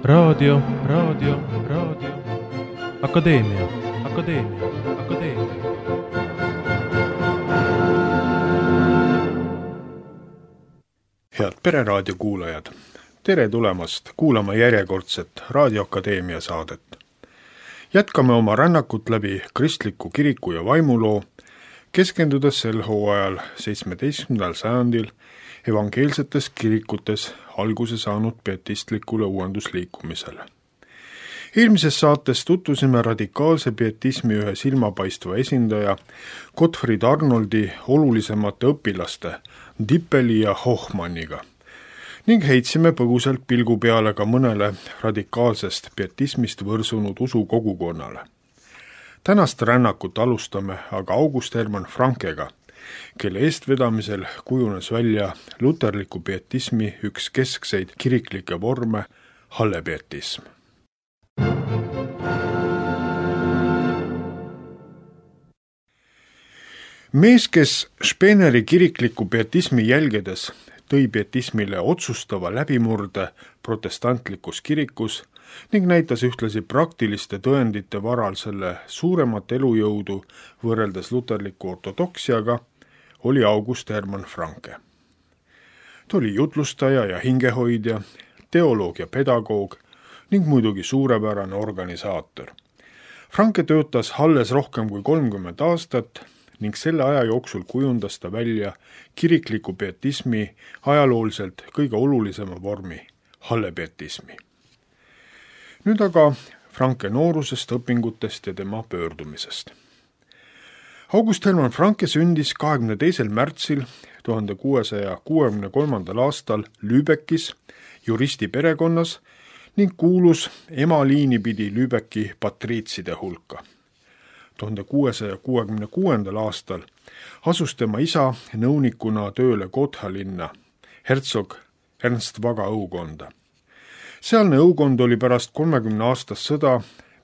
Raadio. Akadeemia. Head Pereraadio kuulajad, tere tulemast kuulama järjekordset Raadio Akadeemia saadet. Jätkame oma rännakut läbi kristliku kiriku ja vaimuloo, keskendudes sel hooajal 17. sajandil evangeelsetes kirikutes alguse saanud pietistlikule uuendusliikumisele. Eelmises saates tutvusime radikaalse pietismi ühe silmapaistva esindaja Gottfried Arnoldi olulisemate õpilaste Dippeli ja Hochmanniga ning heitsime põgusalt pilgu peale ka mõnele radikaalsest pietismist võrsunud usukogukonnale. Tänast rännakut alustame aga August Hermann Frankega, kelle eestvedamisel kujunes välja luterliku pietismi üks keskseid kiriklikke vorme, hallepietism. Mees, kes Speeneri kirikliku pietismi jälgedes tõi pietismile otsustava läbimurde protestantlikus kirikus ning näitas ühtlasi praktiliste tõendite varal selle suuremat elujõudu võrreldes luterliku ortodoksiaga, oli August Hermann Franke. Ta oli jutlustaja ja hingehoidja, teoloog ja pedagoog ning muidugi suurepärane organisaator. Franke töötas Halles rohkem kui 30 aastat ning selle aja jooksul kujundas ta välja kirikliku pietismi ajalooliselt kõige olulisema vormi, hallepietismi. Nüüd aga Franke noorusest, õpingutest ja tema pöördumisest. August Hermann Franke sündis 22. märtsil 1663. aastal Lübeckis juristi perekonnas ning kuulus emaliini pidi Lübecki patriitside hulka. 1666. aastal asus tema isa nõunikuna tööle Gotha linna, hertsog Ernst Vaga õukonda. Sealne õukond oli pärast 30-aastast sõda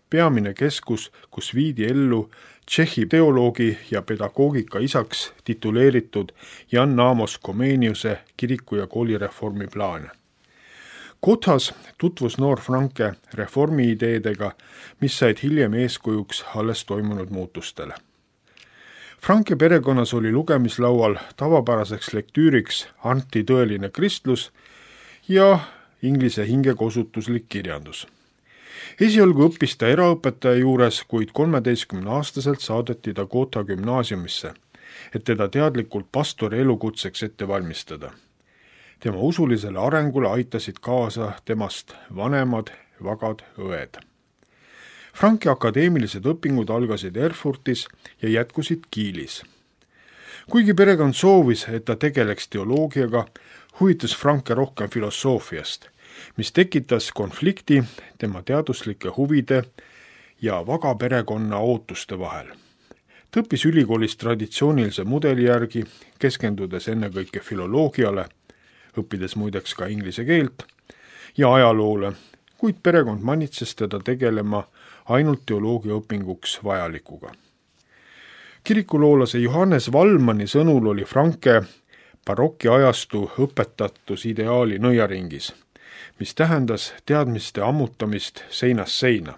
peamine keskus, kus viidi ellu Tšehhi teoloogi ja pedagoogika isaks tituleeritud Jan Amos Comeniuse kiriku- ja koolireformi plaane. Gothas tutvus noor Franke reformi ideedega, mis said hiljem eeskujuks alles toimunud muutustele. Franke perekonnas oli lugemislaual tavapäraseks lektüüriks Anti tõeline kristlus ja inglise hingekosutuslik kirjandus. Esialgu õppis ta eraõpetaja juures, kuid 13-aastaselt saadeti ta Gotha gümnaasiumisse, et teda teadlikult pastori elukutseks ette valmistada. Tema usulisele arengule aitasid kaasa temast vanemad vagad õed. Franke akadeemilised õpingud algasid Erfurtis ja jätkusid Kiilis. Kuigi perekond soovis, et ta tegeleks teoloogiaga, huvitas Franke rohkem filosoofiast, mis tekitas konflikti tema teaduslike huvide ja vaga perekonna ootuste vahel. Ta õppis ülikoolis traditsioonilise mudeli järgi, keskendudes ennekõike filoloogiale, õppides muideks ka inglise keelt ja ajaloole, kuid perekond manitses teda tegelema ainult teoloogia õpinguks vajalikuga. Kirikuloolase Johannes Vallmanni sõnul oli Franke barokiajastu õpetatus ideaali nõiaringis, mis tähendas teadmiste ammutamist seinast seina.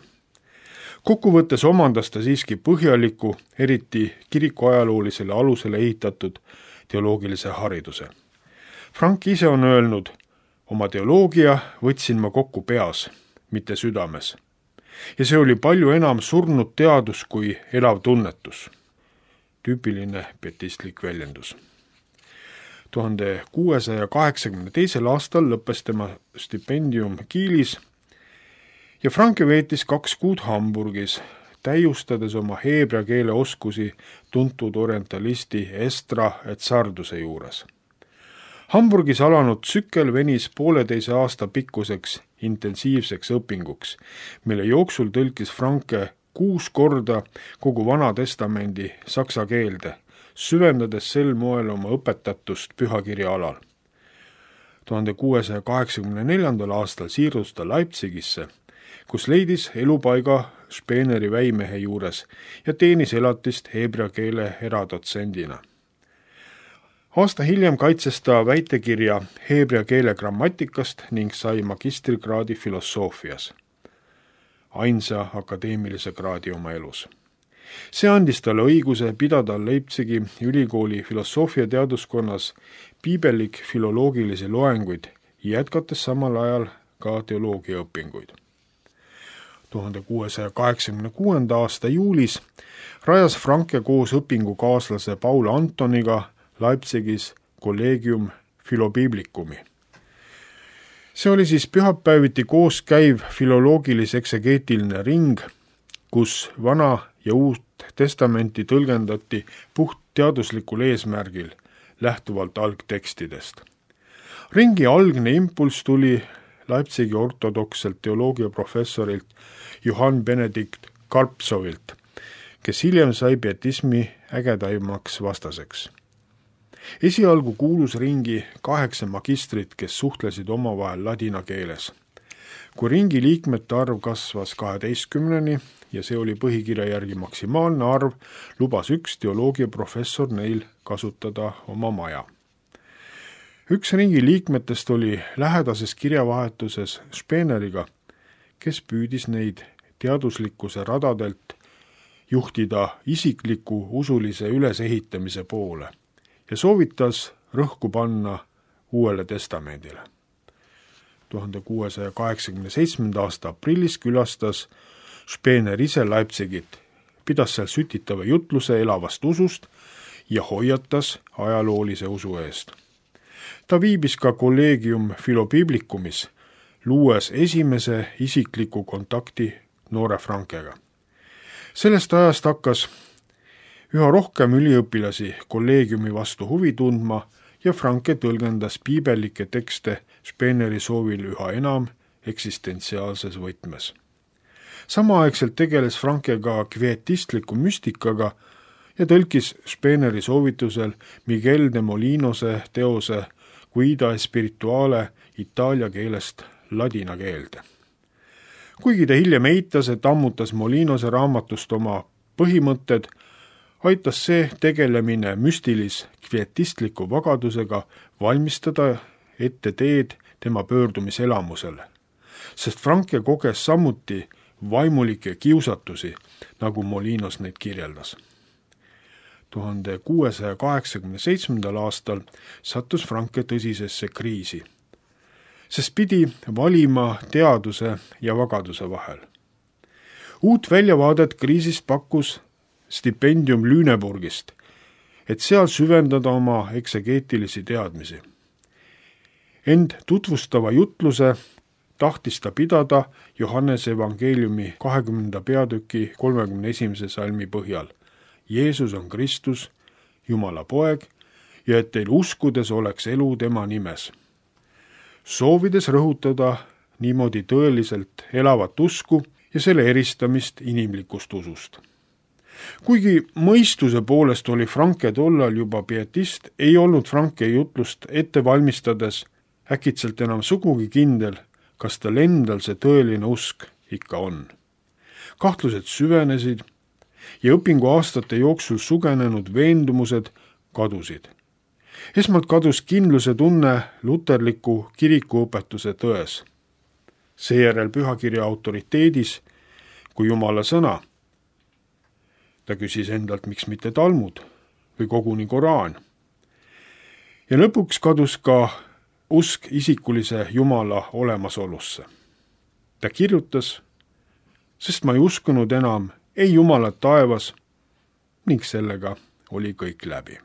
Kokkuvõttes omandas ta siiski põhjaliku, eriti kirikuajaloolisele alusele ehitatud teoloogilise hariduse. Frank ise on öelnud, oma teoloogia võtsin ma kokku peas, mitte südames. Ja see oli palju enam surnud teadus kui elav tunnetus. Tüüpiline pietistlik väljendus. 1682. aastal lõppes tema stipendium Kiilis ja Franke veetis 2 kuud Hamburgis, täiustades oma heebrea keele oskusi tuntud orientalisti Estra et Sarduse juures. Hamburgis alanud tsükkel venis 1,5 aasta pikkuseks intensiivseks õpinguks, mille jooksul tõlkis Franke 6 korda kogu Vana Testamendi saksa keelde, süvendades sel moel oma õpetatust pühakirja alal. 1684. aastal siirdus ta Leipzigisse, kus leidis elupaiga Speeneri väimehe juures ja teenis elatist heebrea keele eradotsendina. Aasta hiljem kaitses ta väitekirja heebrea keele grammatikast ning sai magistrikraadi filosoofias, ainsa akadeemilise kraadi oma elus. See andis talle õiguse pidada Leipzigi ülikooli filosoofia teaduskonnas piibellik-filoloogilisi loenguid, jätkates samal ajal ka teoloogiaõpinguid. 1686. aasta juulis rajas Franke koos õpingukaaslase Paul Antoniga Leipzigis Collegium Philobiblicumi. See oli siis pühapäeviti koos käiv filoloogilis-eksegeetiline ring, kus Vana ja Uut Testamenti tõlgendati puht teaduslikul eesmärgil, lähtuvalt algtekstidest. Ringi algne impulss tuli Leipzigi ortodokselt teoloogiaprofessorilt Johann Benedikt Karpsovilt, kes hiljem sai pietismi ägedaimaks vastaseks. Esialgu kuulus ringi 8 magistrit, kes suhtlesid omavahel ladina keeles. Kui ringi liikmete arv kasvas 12-ni ja see oli põhikirja järgi maksimaalne arv, lubas üks teoloogiaprofessor neil kasutada oma maja. Üks ringi liikmetest oli lähedases kirjavahetuses Speeneriga, kes püüdis neid teaduslikkuse radadelt juhtida isikliku usulise ülesehitamise poole ja soovitas rõhku panna Uuele Testamendile. 1687. aasta aprillis külastas Speener ise Leipzigit, pidas seal sütitava jutluse elavast usust ja hoiatas ajaloolise usu eest. Ta viibis ka Collegium Philobiblicumis, luues esimese isikliku kontakti noore Frankega. Sellest ajast hakkas üha rohkem üliõpilasi kolleegiumi vastu huvi tundma ja Franke tõlgendas piibellikke tekste Speeneri soovil üha enam eksistentsiaalses võtmes. Samaaegselt tegeles Franke ka kvietistliku müstikaga ja tõlkis Speeneri soovitusel Miguel de Molinose teose Guida Spirituale itaalia keelest ladina keelde. Kuigi ta hiljem eitas, et ammutas Molinose raamatust oma põhimõtted, aitas see tegelemine müstilis-kvietistliku vagadusega valmistada ette teed tema pöördumiselamusele, sest Franke koges samuti vaimulikke kiusatusi, nagu Molinos neid kirjeldas. 1687. aastal sattus Franke tõsisesse kriisi, sest pidi valima teaduse ja vagaduse vahel. Uut väljavaadet kriisist pakkus stipendium Lüneburgist, et seal süvendada oma eksegeetilisi teadmisi. Ent tutvustava jutluse tahtis ta pidada Johannese evangeeliumi 20. peatüki 31. salmi põhjal. Jeesus on Kristus, Jumala poeg, ja et teil uskudes oleks elu tema nimes. Soovides rõhutada niimoodi tõeliselt elavat usku ja selle eristamist inimlikust usust. Kuigi mõistuse poolest oli Franke tollal juba pietist, ei olnud Franke jutlust ette valmistades äkitselt enam sugugi kindel, kas tal endal see tõeline usk ikka on. Kahtlused süvenesid ja õpinguaastate jooksul sugenenud veendumused kadusid. Esmalt kadus kindluse tunne luterliku kirikuõpetuse tões. Seejärel pühakirja autoriteedis kui Jumala sõna. Ta küsis endalt, miks mitte Talmud või koguni Koraan. Ja lõpuks kadus ka usk isikulise Jumala olemasolusse. Ta kirjutas, sest ma ei uskunud enam ei Jumalat taevas ning sellega oli kõik läbi.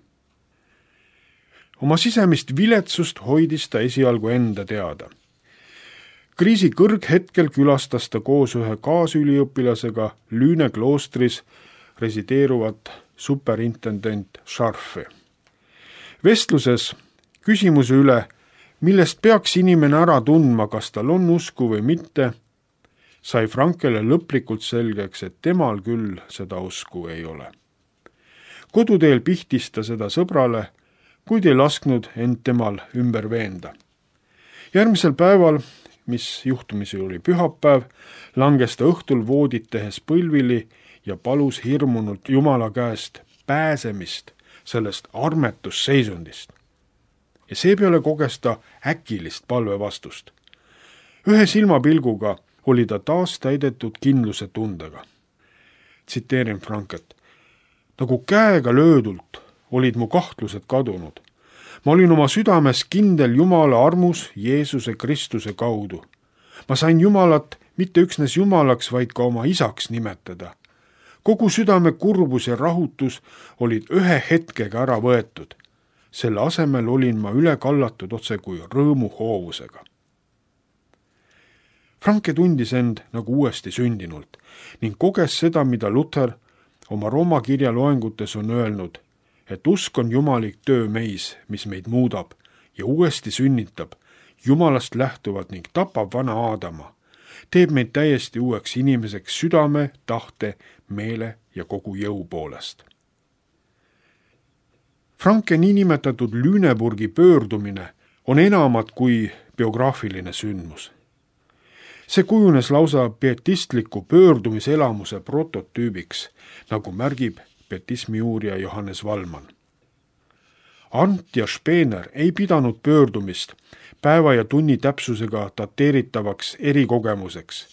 Oma sisemist viletsust hoidis ta esialgu enda teada. Kriisi kõrghetkel külastas ta koos ühe kaasüliõpilasega Lüüne kloostris resideeruvat superintendent Scharfi. Vestluses küsimuse üle, millest peaks inimene ära tundma, kas tal on usku või mitte, sai Frankele lõplikult selgeks, et temal küll seda usku ei ole. Koduteel pihtis ta seda sõbrale, kuid ei lasknud end temal ümber veenda. Järgmisel päeval, mis juhtumisi oli pühapäev, langes ta õhtul voodit tehes põlvili ja palus hirmunult Jumala käest pääsemist sellest armetusseisundist. ja seepeale koges ta äkilist palvevastust. Ühe silmapilguga oli ta taas täidetud kindluse tundega. Tsiteerin Franket. Nagu käega löödult olid mu kahtlused kadunud. Ma olin oma südames kindel Jumala armus Jeesuse Kristuse kaudu. Ma sain Jumalat mitte üksnes Jumalaks, vaid ka oma isaks nimetada. Kogu südame kurbus ja rahutus olid ühe hetkega ära võetud. Selle asemel olin ma üle kallatud otse kui rõõmuhoovusega. Franke tundis end nagu uuesti sündinult ning koges seda, mida Luther oma Rooma kirja loengutes on öelnud, et usk on jumalik töö meis, mis meid muudab ja uuesti sünnitab, Jumalast lähtuvalt ning tapab vana Aadama, teeb meid täiesti uueks inimeseks südame, tahte, meele ja kogu jõu poolest. Franke niinimetatud Lüneburgi pöördumine on enamat kui biograafiline sündmus. See kujunes lausa pietistliku pöördumiselamuse prototüübiks, nagu märgib pietismi uurija Johannes Vallmann. Arndt ja Spener ei pidanud pöördumist päeva ja tunni täpsusega dateeritavaks erikogemuseks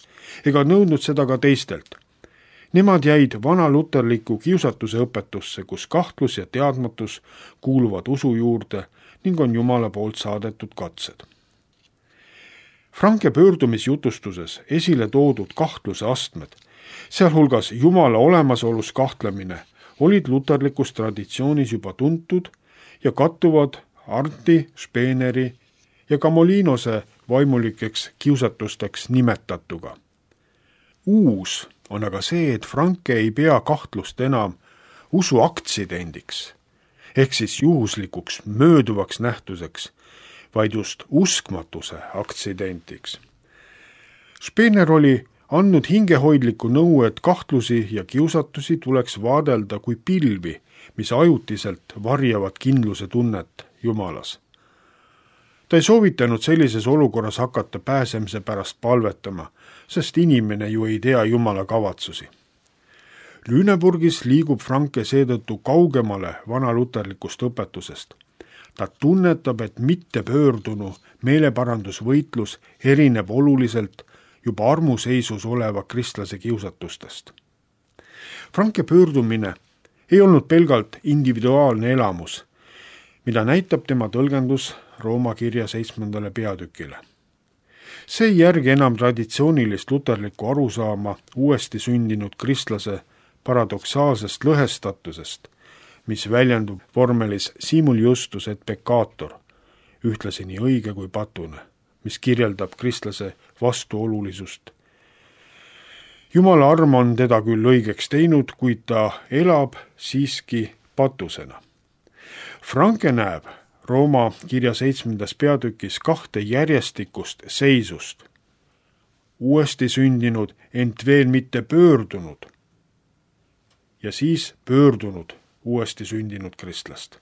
ega nõudnud seda ka teistelt. Nemad jäid vanaluterliku kiusatuse õpetusse, kus kahtlus ja teadmatus kuuluvad usu juurde ning on Jumala poolt saadetud katsed. Franke pöördumisjutustuses esile toodud kahtluse astmed, sealhulgas Jumala olemasolus kahtlemine, olid luterlikus traditsioonis juba tuntud ja kattuvad Arndti, Speeneri ja ka Molinose vaimulikeks kiusatusteks nimetatuga. Uus on aga see, et Franke ei pea kahtlust enam usu aktsidendiks, ehk siis juhuslikuks mööduvaks nähtuseks, vaid just uskmatuse aktsidendiks. Spener oli andnud hingehoidliku nõu, et kahtlusi ja kiusatusi tuleks vaadelda kui pilvi, mis ajutiselt varjavad kindluse tunnet Jumalas. Ta ei soovitanud sellises olukorras hakata pääsemise pärast palvetama, sest inimene ju ei tea Jumala kavatsusi. Lüneburgis liigub Franke seetõttu kaugemale vanaluterlikust õpetusest. Ta tunnetab, et mittepöördunu meeleparandusvõitlus erineb oluliselt juba armuseisus oleva kristlase kiusatustest. Franke pöördumine ei olnud pelgalt individuaalne elamus, mida näitab tema tõlgendus Rooma kirja 7. peatükile. See ei järgi enam traditsioonilist luterlikku arusaama uuesti sündinud kristlase paradoksaalsest lõhestatusest, mis väljendub vormelis simul justus et peccator, ühtlasi nii õige kui patune, mis kirjeldab kristlase vastuolulisust. Jumala arm on teda küll õigeks teinud, kuid ta elab siiski patusena. Franke näeb Rooma kirja 7. peatükis 2 järjestikust seisust. Uuesti sündinud, ent veel mitte pöördunud. Ja siis pöördunud uuesti sündinud kristlast.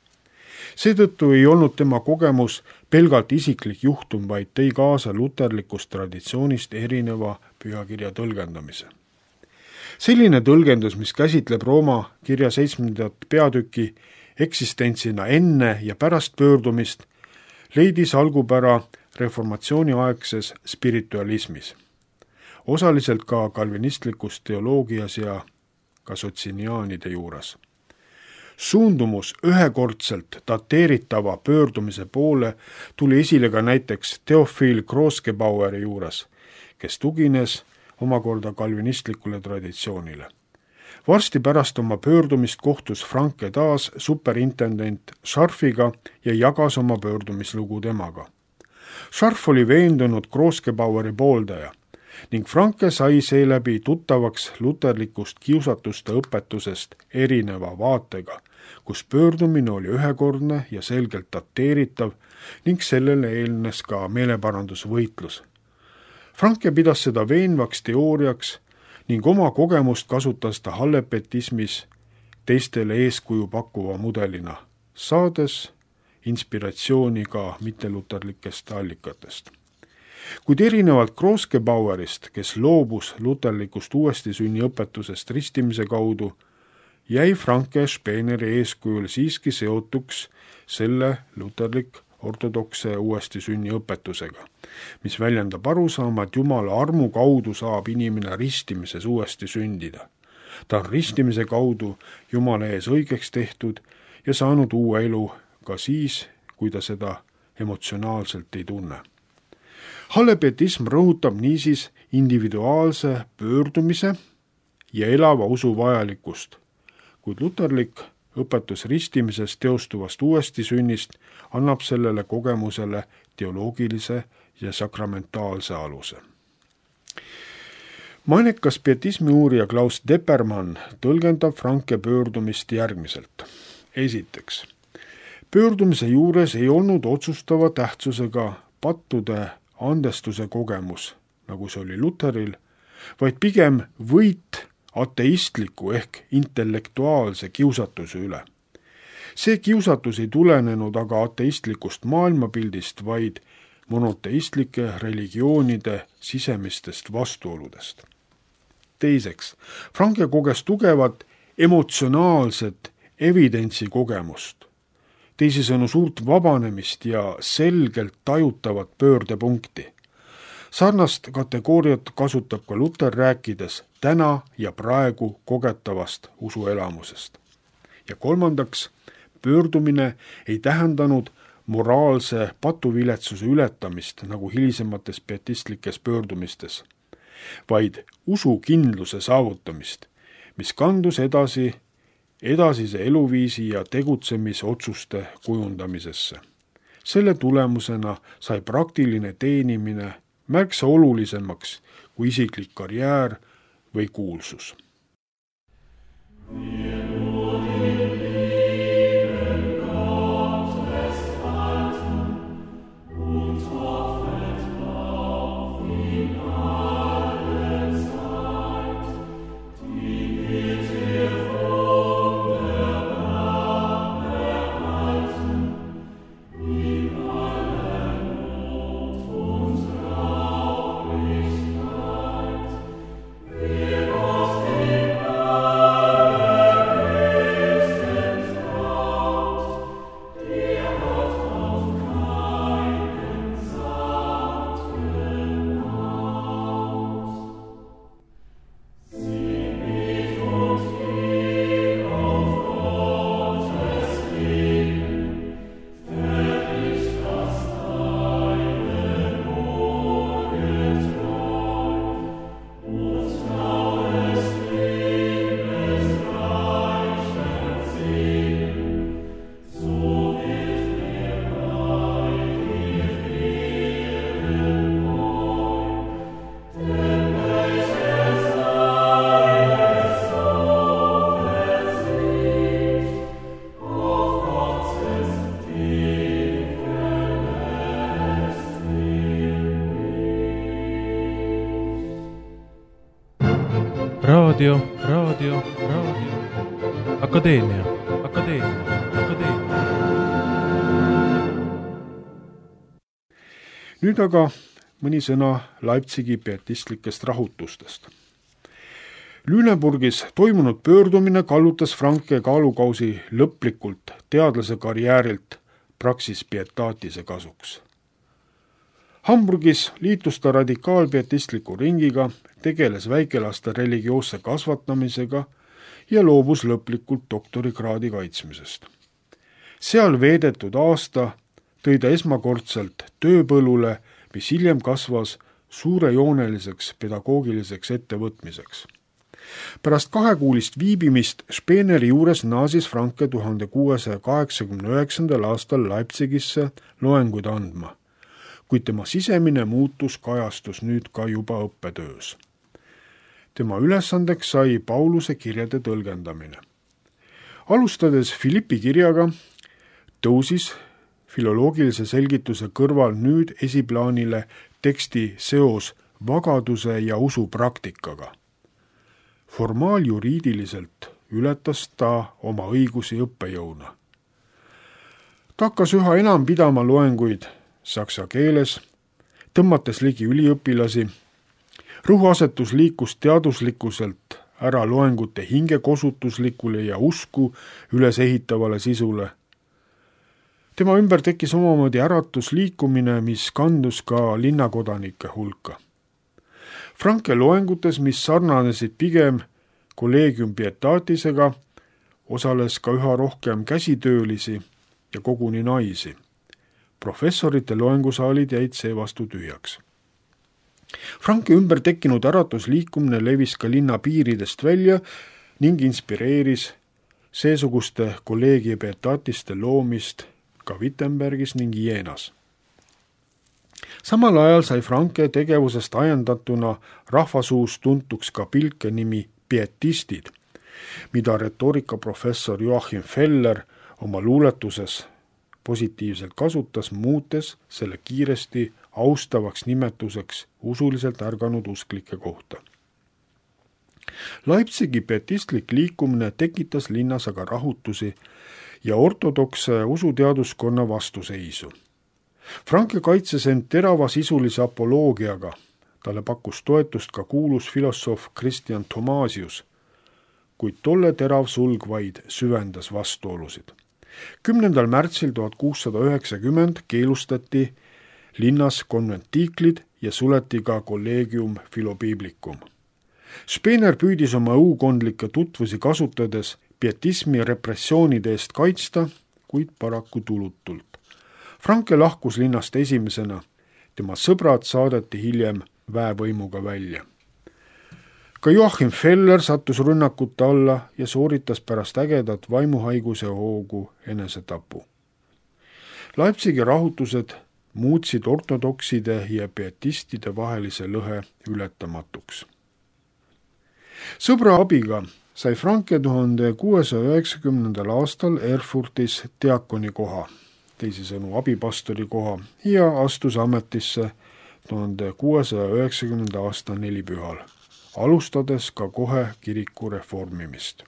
Seetõttu ei olnud tema kogemus pelgalt isiklik juhtum, vaid tõi kaasa luterlikust traditsioonist erineva pühakirja tõlgendamise. Selline tõlgendus, mis käsitleb Rooma kirja 7. peatüki eksistentsina enne ja pärast pöördumist, leidis algupära reformatsiooniaegses spiritualismis, osaliselt ka kalvinistlikus teoloogias ja ka sotsiniaanide juures. Suundumus ühekordselt dateeritava pöördumise poole tuli esile ka näiteks Theophil Kroskebaueri juures, kes tugines omakorda kalvinistlikule traditsioonile. Varsti pärast oma pöördumist kohtus Franke taas superintendent Scharfiga ja jagas oma pöördumislugu temaga. Scharf oli veendunud Kroskebaueri pooldaja ning Franke sai seeläbi tuttavaks luterlikust kiusatuste õpetusest erineva vaatega, kus pöördumine oli ühekordne ja selgelt dateeritav ning sellele eelnes ka meeleparandusvõitlus. Franke pidas seda veenvaks teooriaks ning oma kogemust kasutas ta hallepetismis teistele eeskuju pakkuva mudelina, saades inspiratsiooni ka mitteluterlikest allikatest. Kuid erinevalt Kroskebauerist, kes loobus luterlikust uuesti sünni õpetusest ristimise kaudu, jäi Franke Speeneri eeskujul siiski seotuks selle luterlik ortodokse uuesti sünni õpetusega, mis väljendab arusaama, et Jumala armu kaudu saab inimene ristimises uuesti sündida. Ta on ristimise kaudu Jumala ees õigeks tehtud ja saanud uue elu ka siis, kui ta seda emotsionaalselt ei tunne. Hallepietism rõhutab niisiis individuaalse pöördumise ja elava usu vajalikkust, kuid luterlik õpetus ristimisest teostuvast uuesti sünnist annab sellele kogemusele teoloogilise ja sakramentaalse aluse. Mainekas pietismi uurija Klaus Deppermann tõlgendab Franke pöördumist järgmiselt. Esiteks, pöördumise juures ei olnud otsustava tähtsusega pattude andestuse kogemus, nagu see oli Luteril, vaid pigem võit ateistliku ehk intellektuaalse kiusatuse üle. See kiusatus ei tulenenud aga ateistlikust maailmapildist, vaid monoteistlike religioonide sisemistest vastuoludest. Teiseks, Franke koges tugevat emotsionaalset evidentsi kogemust, teisisõnu suurt vabanemist ja selgelt tajutavat pöördepunkti. Sarnast kategooriat kasutab ka Luter rääkides täna ja praegu kogetavast usuelamusest. Ja kolmandaks, pöördumine ei tähendanud moraalse patuviletsuse ületamist nagu hilisemates pietistlikes pöördumistes, vaid usukindluse saavutamist, mis kandus edasise eluviisi ja tegutsemisotsuste kujundamisesse. Selle tulemusena sai praktiline teenimine märksa olulisemaks kui isiklik karjäär või kuulsus. Raadio. Akadeemia. Nüüd aga mõni sõna Leipzigi pietistlikest rahutustest. Lüneburgis toimunud pöördumine kallutas Franke kaalukausi lõplikult teadlase karjäärilt praxis pietaatise kasuks. Hamburgis liitus ta radikaalpietistliku ringiga, tegeles väikelaste religioosse kasvatamisega ja loobus lõplikult doktorikraadi kaitsmisest. Seal veedetud aasta tõi ta esmakordselt tööpõllule, mis hiljem kasvas suurejooneliseks pedagoogiliseks ettevõtmiseks. Pärast 2-kuulist viibimist Speeneri juures naasis Franke 1689. aastal Leipzigisse loenguid andma, kuid tema sisemine muutus kajastus nüüd ka juba õppetöös. Tema ülesandeks sai Pauluse kirjade tõlgendamine. Alustades Philippi kirjaga, tõusis filoloogilise selgituse kõrval nüüd esiplaanile teksti seos vagaduse ja usu praktikaga. Formaaljuriidiliselt ületas ta oma õigusi õppejõuna. Ta hakkas üha enam pidama loenguid saksa keeles, tõmmates ligi üliõpilasi. Rõhuasetus liikus teaduslikuselt ära loengute hingekosutuslikule ja usku ülesehitavale sisule. tema ümber tekkis omamoodi äratusliikumine, mis kandus ka linnakodanike hulka. Franke loengutes, mis sarnanesid pigem Collegium Pietatisega, osales ka üha rohkem käsitöölisi ja koguni naisi. Professorite loengusaalid jäid seevastu tühjaks. Franke ümber tekkinud äratusliikumine levis ka linna piiridest välja ning inspireeris seesuguste Collegium Pietatiste loomist ka Wittenbergis ning Jeenas. Samal ajal sai Franke tegevusest ajendatuna rahvasuus tuntuks ka pilke nimi pietistid, mida retoorikaprofessor Joachim Feller oma luuletuses positiivselt kasutas, muutes selle kiiresti austavaks nimetuseks usuliselt ärganud usklike kohta. Leipzigi pietistlik liikumine tekitas linnas aga rahutusi ja ortodokse usuteaduskonna vastuseisu. Franke kaitses end teravasisulise apoloogiaga, talle pakkus toetust ka kuulus filosoof Christian Thomasius, kuid tolle terav sulg vaid süvendas vastuolusid. 10. märtsil 1690 keelustati linnas konventiiklid ja suleti ka Collegium Philobiblicum. Spener püüdis oma õukondlikke tutvusi kasutades pietismi repressioonide eest kaitsta, kuid paraku tulutult. Franke lahkus linnast esimesena, tema sõbrad saadeti hiljem väevõimuga välja. Ka Joachim Feller sattus rünnakute alla ja sooritas pärast ägedat vaimuhaiguse hoogu enesetapu. Leipzigi rahutused muutsid ortodokside ja pietistide vahelise lõhe ületamatuks. Sõbra abiga sai Franke 1690. aastal Erfurtis diakoni koha, teisisõnu abipastori koha, ja astus ametisse 1690. aasta nelipühal, alustades ka kohe kiriku reformimist.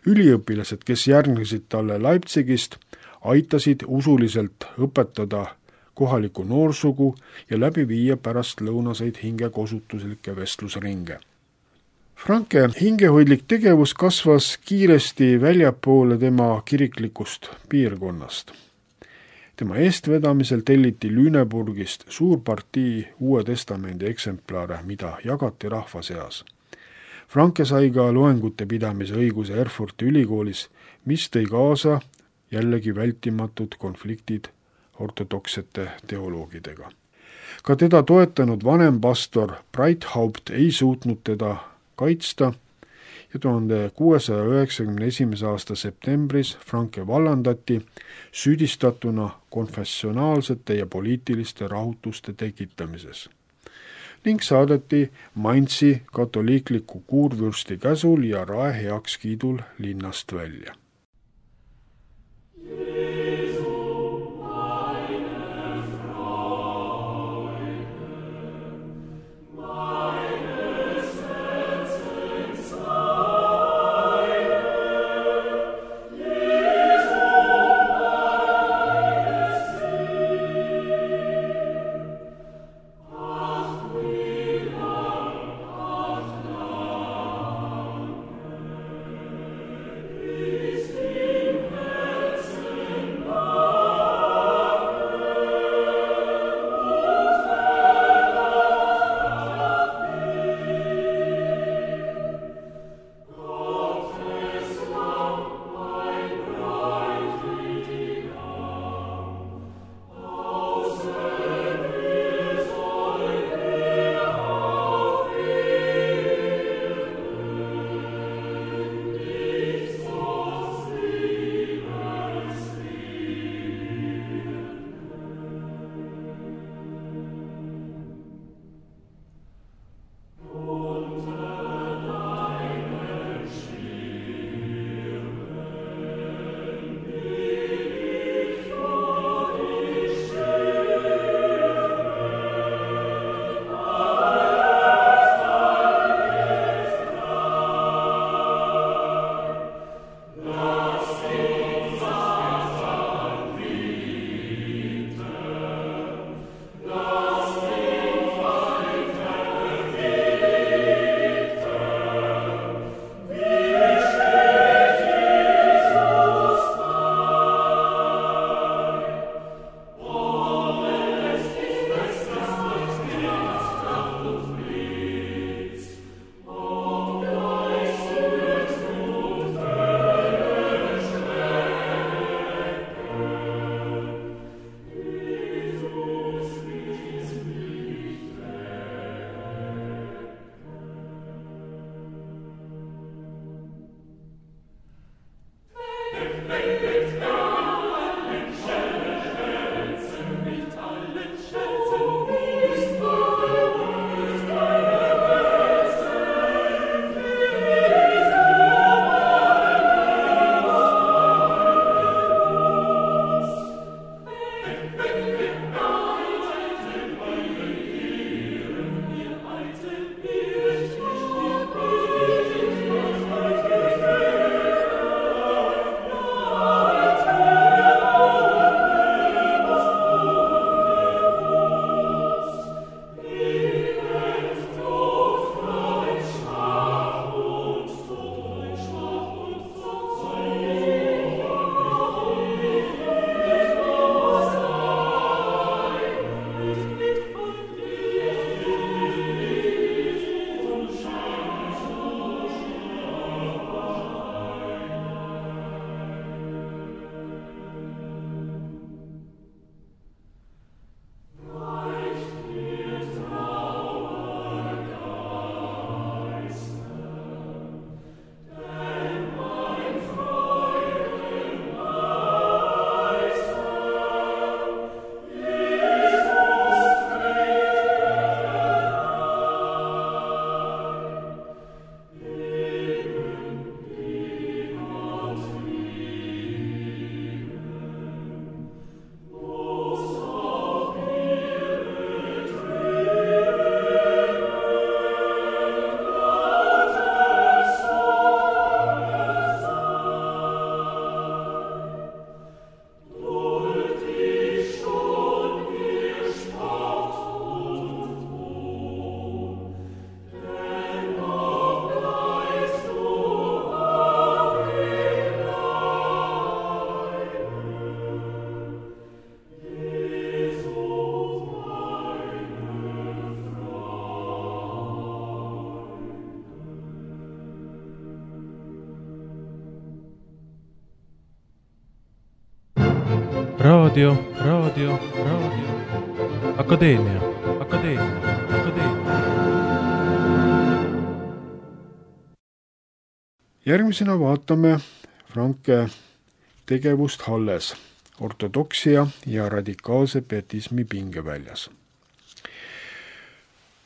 Üliõpilased, kes järgnesid talle Leipzigist, aitasid usuliselt õpetada kohalikku noorsugu ja läbi viia pärast lõunaseid hingekosutuslikke vestlusringe. Franke hingehoidlik tegevus kasvas kiiresti väljapoole tema kiriklikust piirkonnast. Tema eestvedamisel telliti Lüneburgist suur partii Uue Testamendi eksemplare, mida jagati rahva seas. Franke sai ka loengute pidamise õiguse Erfurti ülikoolis, mis tõi kaasa jällegi vältimatud konfliktid ortodoksete teoloogidega. Ka teda toetanud vanempastor Breithaupt ei suutnud teda kaitsta ja 1691. aasta septembris Franke vallandati süüdistatuna konfessionaalsete ja poliitiliste rahutuste tekitamises ning saadeti Mainzi katoliikliku kuurvürsti käsul ja rae heakskiidul linnast välja. Raadio. Akadeemia. Järgmisena vaatame Franke tegevust Halles, ortodoksia ja radikaalse pietismi pingeväljas.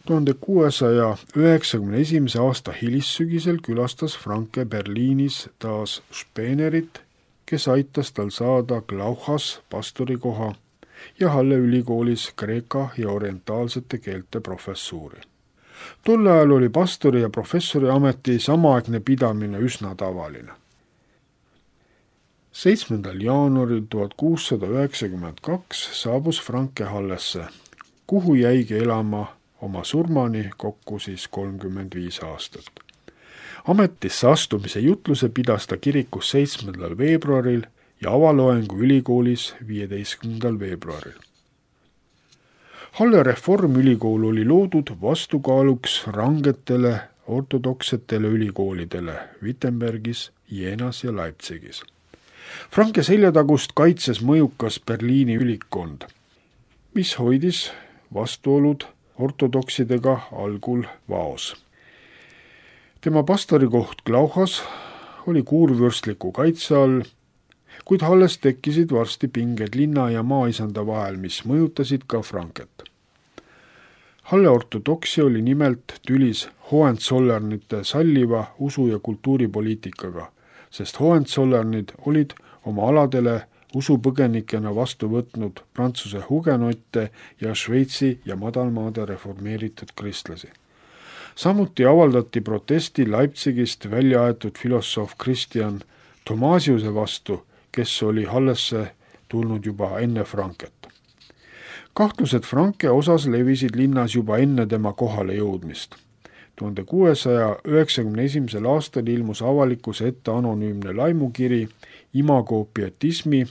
1691. aasta hilissügisel külastas Franke Berliinis taas Spenerit, kes aitas tal saada Glauchas pastorikoha ja Halle ülikoolis kreeka ja orientaalsete keelte professuuri. Tol ajal oli pastori ja professori ameti samaaegne pidamine üsna tavaline. 7. jaanuaril 1692 saabus Franke Hallesse, kuhu jäigi elama oma surmani kokku 35 aastat. Ametisse astumise jutluse pidas ta kirikus 7. veebruaril ja avaloengu ülikoolis 15. veebruaril. Halle reformülikool oli loodud vastukaaluks rangetele ortodoksetele ülikoolidele Wittenbergis, Jeenas ja Leipzigis. Franke seljatagust kaitses mõjukas Berliini ülikond, mis hoidis vastuolud ortodoksidega algul vaos. Tema pastorikoht Glauchas oli kuurvürstliku kaitse all, kuid Halles tekkisid varsti pinged linna ja maaisanda vahel, mis mõjutasid ka Franket. Halle ortodoksia oli nimelt tülis Hohenzollernite salliva usu- ja kultuuripoliitikaga, sest Hohenzollernid olid oma aladele usupõgenikena vastu võtnud Prantsuse hugenotte ja Šveitsi ja madalmaade reformeeritud kristlasi. Samuti avaldati protesti Leipzigist välja aetud filosoof Christian Thomasiuse vastu, kes oli Hallesse tulnud juba enne Franket. Kahtlused Franke osas levisid linnas juba enne tema kohale jõudmist. 1691. aastal ilmus avalikkuse ette anonüümne laimukiri Imago pietismi,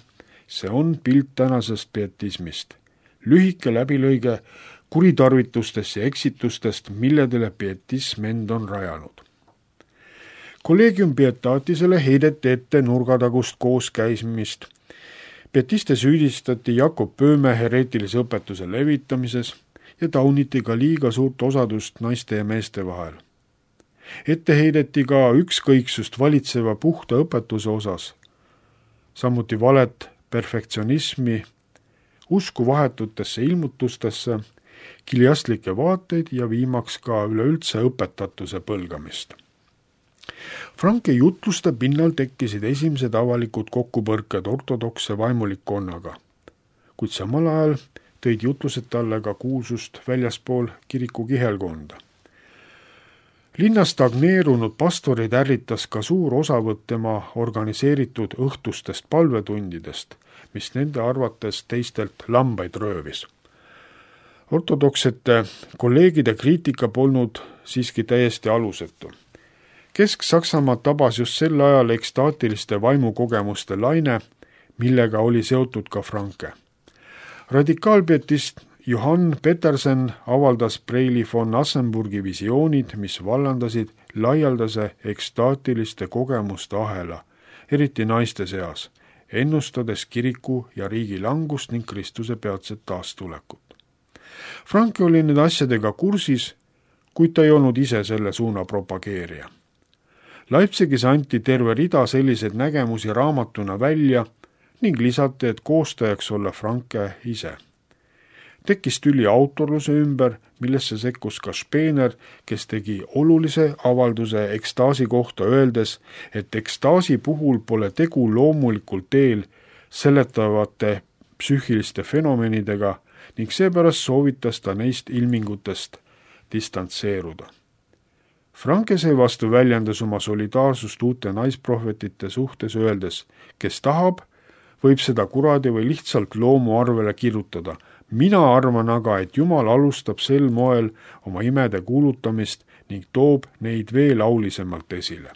see on pilt tänasest pietismist. Lühike läbilõige kuritarvitustest ja eksitustest, milledele pietism end on rajanud. Collegium Pietatisele heideti ette nurgatagust kooskäimist. Pietiste süüdistati Jakob Pööme hereetilise õpetuse levitamises ja tauniti ka liiga suurt osadust naiste ja meeste vahel. Ette heideti ka ükskõiksust valitseva puhta õpetuse osas, samuti valet, perfektsionismi, usku vahetutesse ilmutustesse, kiliastlikke vaateid ja viimaks ka üleüldse õpetatuse põlgamist. Franke jutluste pinnal tekkisid esimesed avalikud kokkupõrked ortodokse vaimulikkonnaga, kuid samal ajal tõid jutlused talle ka kuulsust väljaspool kiriku kihelkonda. Linna stagneerunud pastorid ärritas ka suur osavõtt tema organiseeritud õhtustest palvetundidest, mis nende arvates teistelt lambaid röövis. Ortodoksete kolleegide kriitika polnud siiski täiesti alusetu. Kesk-Saksamaad tabas just sel ajal ekstaatiliste vaimukogemuste laine, millega oli seotud ka Franke. Radikaalpietist Johann Petersen avaldas Preili von Assenburgi visioonid, mis vallandasid laialdase ekstaatiliste kogemuste ahela, eriti naiste seas, ennustades kiriku ja riigi langust ning Kristuse peatset taastulekut. Franke oli nüüd asjadega kursis, kuid ta ei olnud ise selle suuna propageerija. Leipzigis anti terve rida selliseid nägemusi raamatuna välja ning lisati, et koostajaks olla Franke ise. Tekkis tüli autorluse ümber, millesse sekkus ka Spener, kes tegi olulise avalduse ekstaasi kohta öeldes, et ekstaasi puhul pole tegu loomulikul teel seletavate psüühiliste fenomenidega ning seepärast soovitas ta neist ilmingutest distantseeruda. Franke seevastu väljendas oma solidaarsust uute naisprohvetite suhtes öeldes, kes tahab, võib seda kuradi või lihtsalt loomu arvele kirjutada. Mina arvan aga, et Jumal alustab sel moel oma imede kuulutamist ning toob neid veel aulisemalt esile.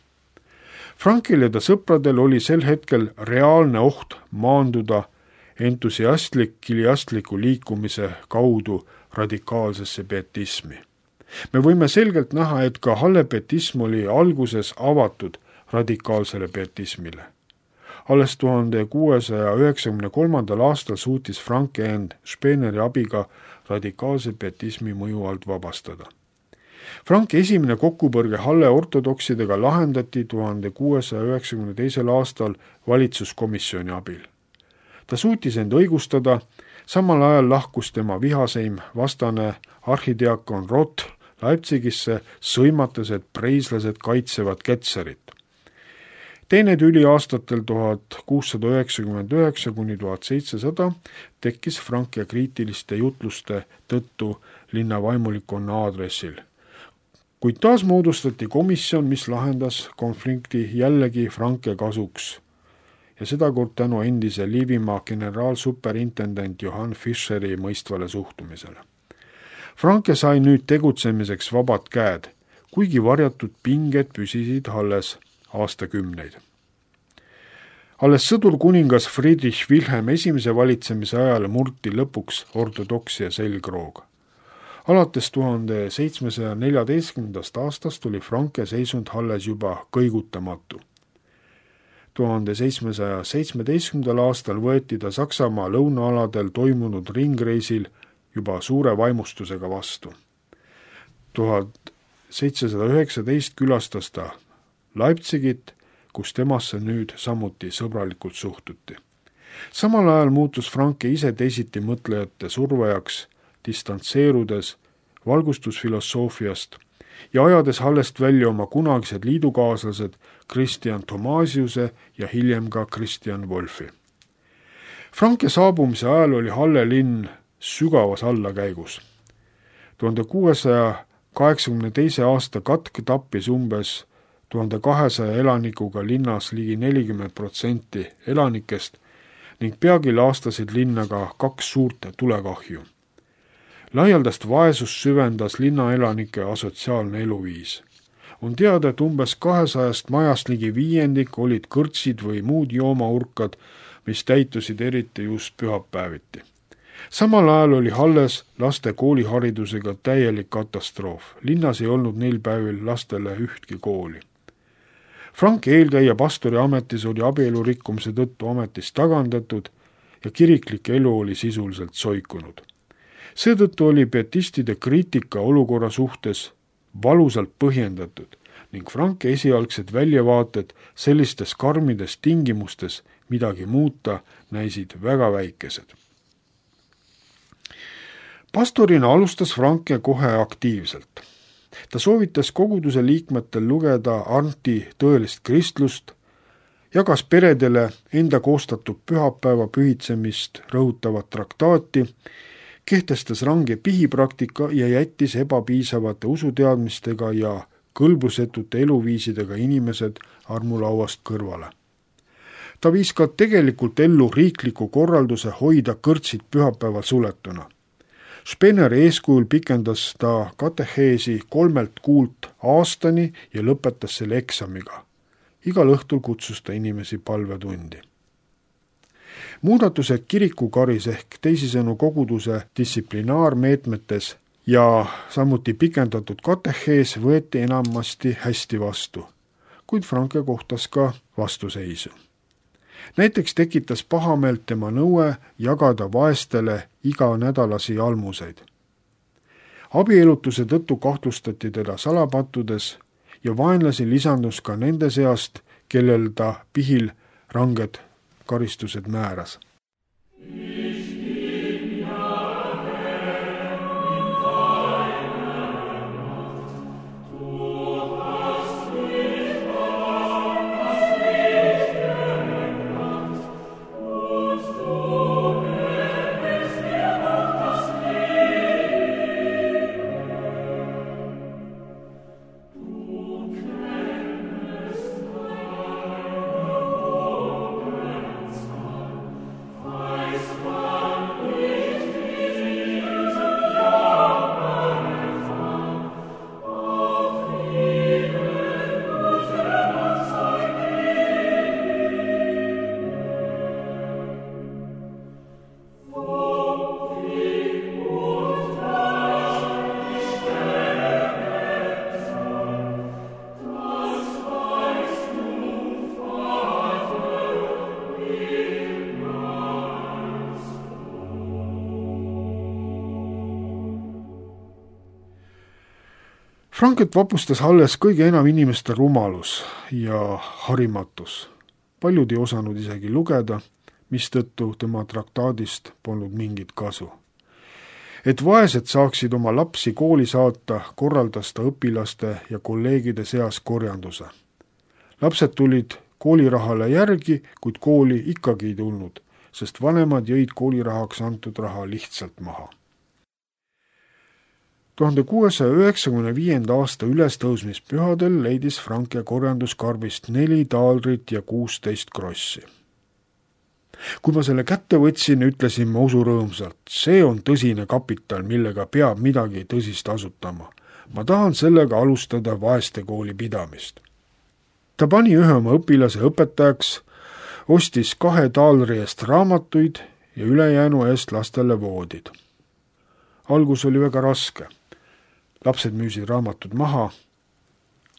Frankil ja ta sõpradel oli sel hetkel reaalne oht maanduda entusiastliku liikumise kaudu radikaalsesse pietismi. Me võime selgelt näha, et ka Halle pietism oli alguses avatud radikaalsele pietismile. Alles 1693. aastal suutis Franke end Speneri abiga radikaalse pietismi mõju alt vabastada. Franke esimene kokkupõrge Halle ortodoksidega lahendati 1692. aastal valitsuskomisjoni abil. Ta suutis end õigustada, samal ajal lahkus tema vihaseim vastane arhidiakon Rott Leipzigisse, sõimates, et preislased kaitsevad Ketserit. Teine tüli aastatel 1699 kuni 1700 tekkis Franke kriitiliste jutluste tõttu linna vaimulikkonna aadressil. Kuid taas moodustati komisjon, mis lahendas konflikti jällegi Franke kasuks ja sedakord tänu endise Liivimaa generaalsuperintendent Johann Fischeri mõistvale suhtumisele. Franke sai nüüd tegutsemiseks vabad käed, kuigi varjatud pinged püsisid alles aastakümneid. Alles sõdurkuningas Friedrich Wilhelm I valitsemise ajal murti lõpuks ortodoksia selgroog. Alates 1714. aastast oli Franke seisund Halles juba kõigutamatu. 1717. aastal võeti ta Saksamaa lõunaaladel toimunud ringreisil juba suure vaimustusega vastu. 1719 külastas ta Leipzigit, kus temasse nüüd samuti sõbralikult suhtuti. Samal ajal muutus Franke ise teisiti mõtlejate survejaks, distantseerudes valgustusfilosoofiast ja ajades Hallest välja oma kunagised liidukaaslased Christian Thomasiuse ja hiljem ka Christian Wolfi. Franke saabumise ajal oli Halle linn sügavas allakäigus. 1682. aasta katk tappis umbes 1200 elanikuga linnas ligi 40% elanikest ning peagi laastasid linna ka 2 suurt tulekahju. Laialdast vaesust süvendas linnaelanike asotsiaalne eluviis. On teada, et umbes 200 majast ligi 1/5 olid kõrtsid või muud joomaurkad, mis täitusid eriti just pühapäeviti. Samal ajal oli Halles laste kooliharidusega täielik katastroof. Linnas ei olnud neil päevil lastele ühtki kooli. Franke eelkäija pastori ametis oli abielu rikkumise tõttu ametist tagandatud ja kiriklik elu oli sisuliselt soikunud. Seetõttu oli pietistide kriitika olukorra suhtes valusalt põhjendatud ning Franke esialgsed väljavaated sellistes karmides tingimustes midagi muuta näisid väga väikesed. Pastorina alustas Franke kohe aktiivselt. Ta soovitas koguduse liikmetel lugeda Arndti tõelist kristlust, jagas peredele enda koostatud pühapäeva pühitsemist rõhutavat traktaati, kehtestas range pihipraktika ja jättis ebapiisavate usuteadmistega ja kõlbusetute eluviisidega inimesed armulauast kõrvale. Ta viis ka tegelikult ellu riikliku korralduse hoida kõrtsid pühapäeval suletuna. Speneri eeskujul pikendas ta kateheesi 3 kuult aastani ja lõpetas selle eksamiga. Igal õhtul kutsus ta inimesi palvetundi. Muudatused kirikukaris ehk teisisõnu koguduse distsiplinaarmeetmetes ja samuti pikendatud katehees võeti enamasti hästi vastu, kuid Franke kohtas ka vastuseisu. Näiteks tekitas pahameelt tema nõue jagada vaestele iganädalasi almuseid. Abielutuse tõttu kahtlustati teda salapattudes ja vaenlasi lisandus ka nende seast, kellel ta pihil ranged karistused määras. Christ. Franket vapustas alles kõige enam inimeste rumalus ja harimatus. Paljud ei osanud isegi lugeda, mistõttu tema traktaadist polnud mingit kasu. Et vaesed saaksid oma lapsi kooli saata, korraldas ta õpilaste ja kolleegide seas korjanduse. Lapsed tulid koolirahale järgi, kuid kooli ikkagi ei tulnud, sest vanemad jõid koolirahaks antud raha lihtsalt maha. 1695. aasta ülestõusmispühadel leidis Franke korjanduskarbist 4 taaldrit ja 16 krossi. Kui ma selle kätte võtsin, ütlesin ma usurõõmsalt, see on tõsine kapital, millega peab midagi tõsist asutama. Ma tahan sellega alustada vaeste kooli pidamist. Ta pani ühe oma õpilase õpetajaks, ostis 2 taalri eest raamatuid ja ülejäänu eest lastele voodid. Algus oli väga raske. Lapsed müüsid raamatud maha,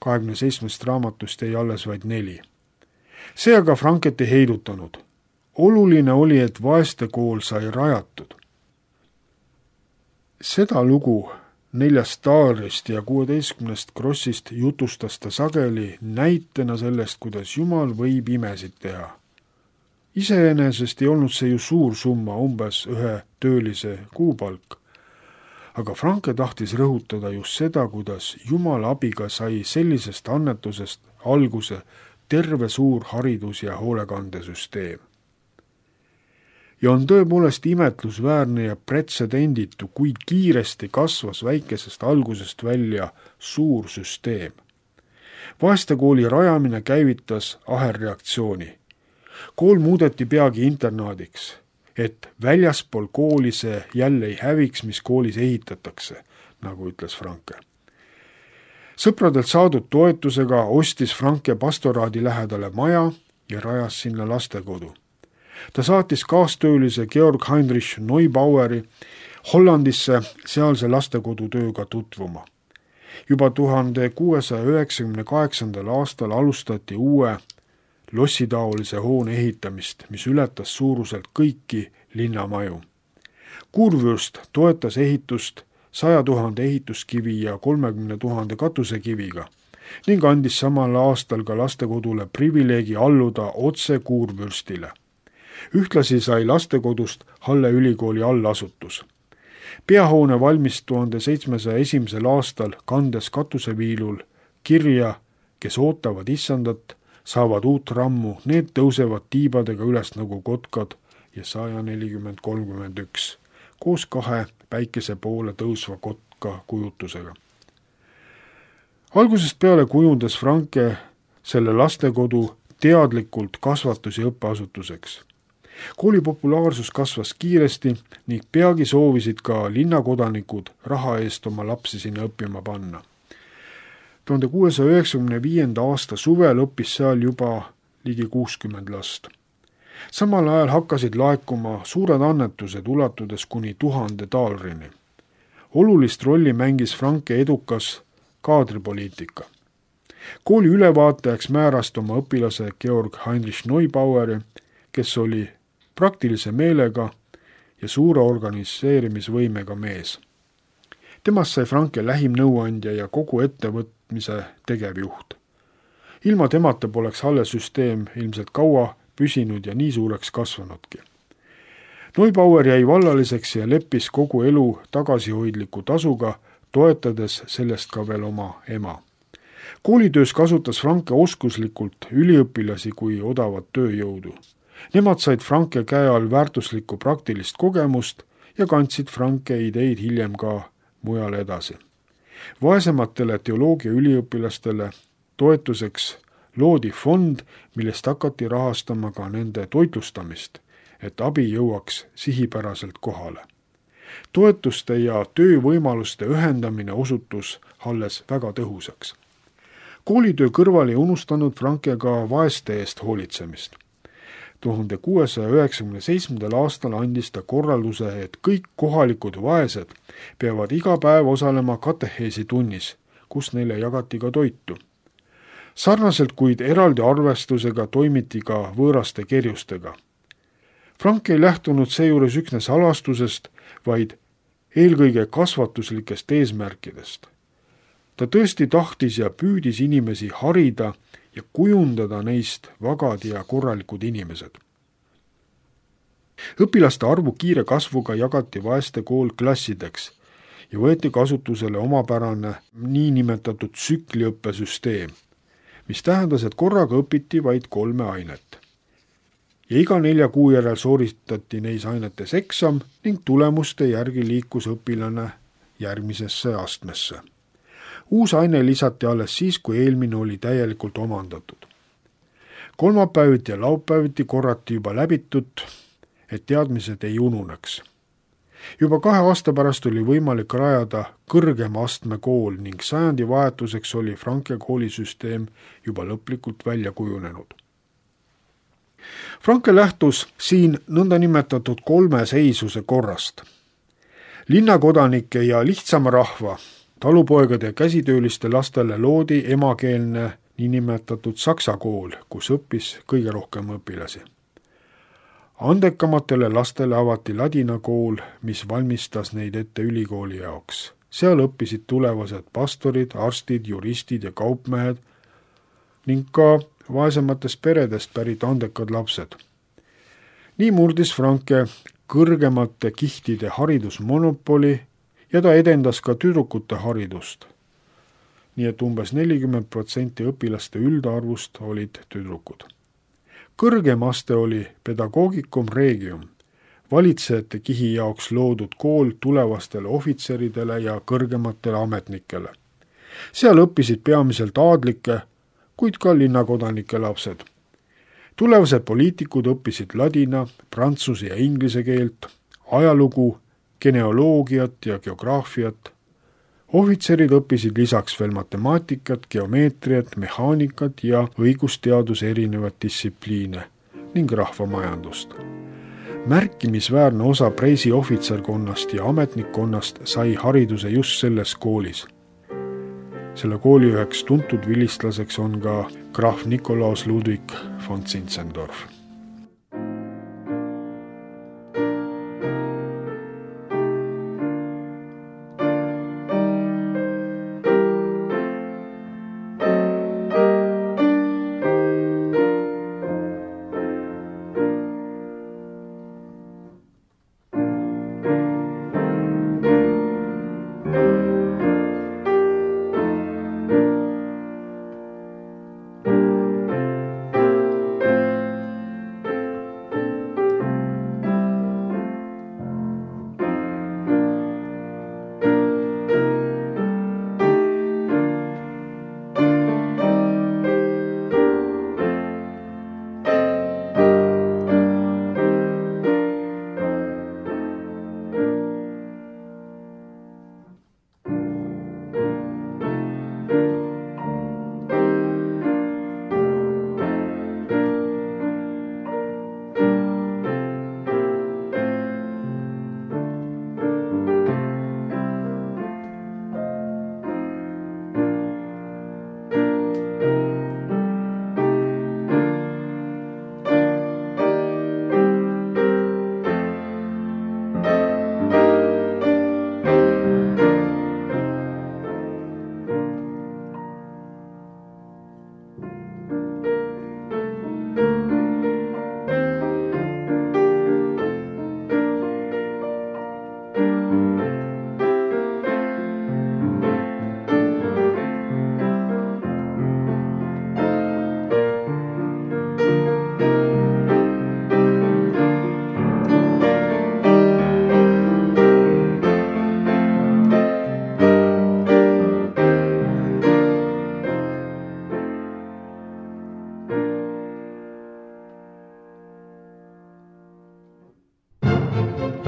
27 raamatust jäi alles vaid 4. See aga Franket ei heidutanud. Oluline oli, et vaeste kool sai rajatud. Seda lugu 4 taarist ja 16 krossist jutustas ta sageli näitena sellest, kuidas Jumal võib imesid teha. Iseenesest ei olnud see ju suur summa, umbes 1 töölise kuupalk. Aga Franke tahtis rõhutada just seda, kuidas Jumala abiga sai sellisest annetusest alguse terve suur haridus- ja hoolekandesüsteem. Ja on tõepoolest imetlusväärne ja pretsedenditu, kui kiiresti kasvas väikesest algusest välja suur süsteem. Vaestekooli rajamine käivitas ahelreaktsiooni. Kool muudeti peagi internaadiks, et väljaspool kooli see jälle ei häviks, mis koolis ehitatakse, nagu ütles Franke. Sõpradelt saadud toetusega ostis Franke pastoraadi lähedale maja ja rajas sinna lastekodu. Ta saatis kaastöölise Georg Heinrich Neubaueri Hollandisse sealse lastekodu tööga tutvuma. Juba 1698. aastal alustati uue lossitaolise hoone ehitamist, mis ületas suuruselt kõiki linnamaju. Kurvürst toetas ehitust 100 000 ehituskivi ja 30 000 katusekiviga ning andis samal aastal ka lastekodule privileegi alluda otse Kurvürstile. Ühtlasi sai lastekodust Halle ülikooli allasutus. Peahoone valmis 1701. aastal, kandes katuseviilul kirja, kes ootavad issandat, saavad uut rammu, need tõusevad tiibadega üles nagu kotkad ja 140-31, koos 2 päikese poole tõusva kotka kujutusega. Algusest peale kujundas Franke selle lastekodu teadlikult kasvatus- ja õppeasutuseks. Kooli populaarsus kasvas kiiresti ning peagi soovisid ka linnakodanikud raha eest oma lapsi sinna õppima panna. 1695. aasta suvel õppis seal juba ligi 60 last. Samal ajal hakkasid laekuma suured annetused ulatudes kuni 1000 taalrini. Olulist rolli mängis Franke edukas kaadripoliitika. Kooli ülevaatajaks määrast oma õpilase Georg Heinrich Neubaueri, kes oli praktilise meelega ja suure organiseerimisvõimega mees. Temast sai Franke lähim nõuandja ja kogu ettevõtmise tegevjuht. Ilma temata poleks Halle süsteem ilmselt kaua püsinud ja nii suureks kasvanudki. Neubauer jäi vallaliseks ja leppis kogu elu tagasihoidliku tasuga, toetades sellest ka veel oma ema. Koolitöös kasutas Franke oskuslikult üliõpilasi kui odavat tööjõudu. Nemad said Franke käe all väärtuslikku praktilist kogemust ja kandsid Franke ideid hiljem ka mujale edasi. Vaesematele teoloogia üliõpilastele toetuseks loodi fond, millest hakati rahastama ka nende toitlustamist, et abi jõuaks sihipäraselt kohale. Toetuste ja töövõimaluste ühendamine osutus Halles väga tõhusaks. Koolitöö kõrval ei unustanud Franke ka vaeste eest hoolitsemist. 1697. aastal andis ta korralduse, et kõik kohalikud vaesed peavad iga päev osalema kateheesi tunnis, kus neile jagati ka toitu. Sarnaselt kuid eraldi arvestusega toimiti ka võõraste kerjustega. Frank ei lähtunud seejuures üksnes halastusest, vaid eelkõige kasvatuslikest eesmärkidest. Ta tõesti tahtis ja püüdis inimesi harida ja kujundada neist vagad ja korralikud inimesed. Õpilaste arvu kiire kasvuga jagati vaeste kool klassideks ja võeti kasutusele omapärane niinimetatud tsükliõppesüsteem, mis tähendas, et korraga õpiti vaid 3 ainet. Ja iga 4 kuu järel sooritati neis ainetes eksam ning tulemuste järgi liikus õpilane järgmisesse astmesse. Uus aine lisati alles siis, kui eelmine oli täielikult omandatud. Kolmapäeviti ja laupäeviti korrati juba läbitut, et teadmised ei ununeks. Juba 2 aasta pärast oli võimalik rajada kõrgema astme kool ning sajandi vahetuseks oli Franke koolisüsteem juba lõplikult välja kujunenud. Franke lähtus siin nõndanimetatud 3 seisuse korrast. Linnakodanike ja lihtsama rahva, talupoegade ja käsitööliste lastele loodi emakeelne niinimetatud saksa kool, kus õppis kõige rohkem õpilasi. Andekamatele lastele avati ladina kool, mis valmistas neid ette ülikooli jaoks. Seal õppisid tulevased pastorid, arstid, juristid ja kaupmehed ning ka vaesematest peredest pärit andekad lapsed. Nii murdis Franke kõrgemate kihtide haridusmonopoli ja ta edendas ka tüdrukute haridust. Nii et umbes 40% õpilaste üldarvust olid tüdrukud. Kõrgem aste oli pedagoogicum regium, valitsejate kihi jaoks loodud kool tulevastele ohvitseridele ja kõrgematele ametnikele. Seal õppisid peamiselt aadlike, kuid ka linnakodanike lapsed. Tulevased poliitikud õppisid ladina, prantsuse ja inglise keelt, ajalugu, geneoloogiat ja geograafiat. Ohvitserid õppisid lisaks veel matemaatikat, geomeetriat, mehaanikat ja õigusteaduse erinevat distsipliine ning rahvamajandust. Märkimisväärne osa preisi ohvitserkonnast ja ametnikkonnast sai hariduse just selles koolis. Selle kooli üheks tuntud vilistlaseks on ka graaf Nikolaus Ludwig von Zinzendorf.